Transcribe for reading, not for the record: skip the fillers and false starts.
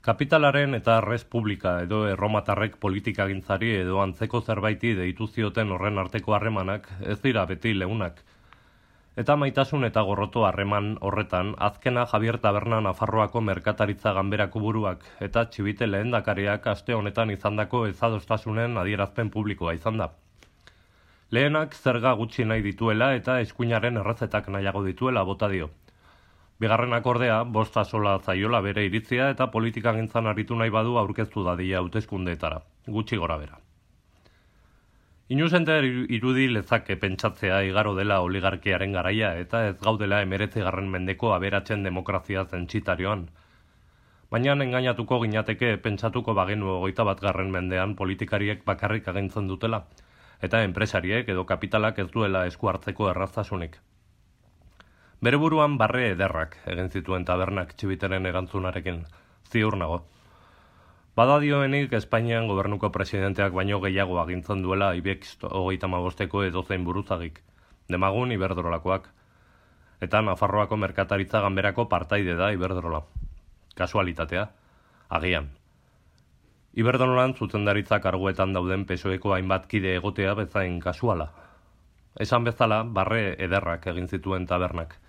Kapitalaren eta Respublika edo erromatarrek politikagintzari edo antzeko zerbaiti deitu zioten horren arteko harremanak ez dira beti leunak. Eta maitasun eta gorroto harreman horretan, azkena Javier Taberna Nafarroako merkataritza ganberako buruak eta Txibite lehendakariak aste honetan izandako ezadostasunen adierazpen publikoa izan da. Lehenak zerga gutxi nahi dituela eta eskuinaren errezetak nahiago dituela bota dio. Bigarrenak ordea, bosta sola zaiola bere iritzia eta politikagintzan aritu nahi badu aurkeztu dadila hauteskundeetara, gutxi gora bera. Inuzente irudi lezake pentsatzea igaro dela oligarkiaren garaia eta ez gaudela 19. mendeko aberatzen demokrazia zentsitarioan. Baina engainatuko ginateke pentsatuko bagenu 21. mendean politikariek bakarrik agintzen dutela, eta enpresariek edo kapitalak ez duela esku hartzeko erraztasunik. Bere buruan barre ederrak egin zituen Tabernak Txibiteren erantzunarekin, ziur nago. Bada dioenik Espainian gobernuko presidenteak baino gehiago agintzen duela IBEX 35ko edozein buruzagik, demagun Iberdrolakoak, eta Nafarroako merkataritza ganberako partaide da Iberdrola. Kasualitatea, agian. Iberdrolan zuzendaritza karguetan dauden PSOEko hainbat kide egotea bezain kasuala. Esan bezala, barre ederrak egin zituen Tabernak,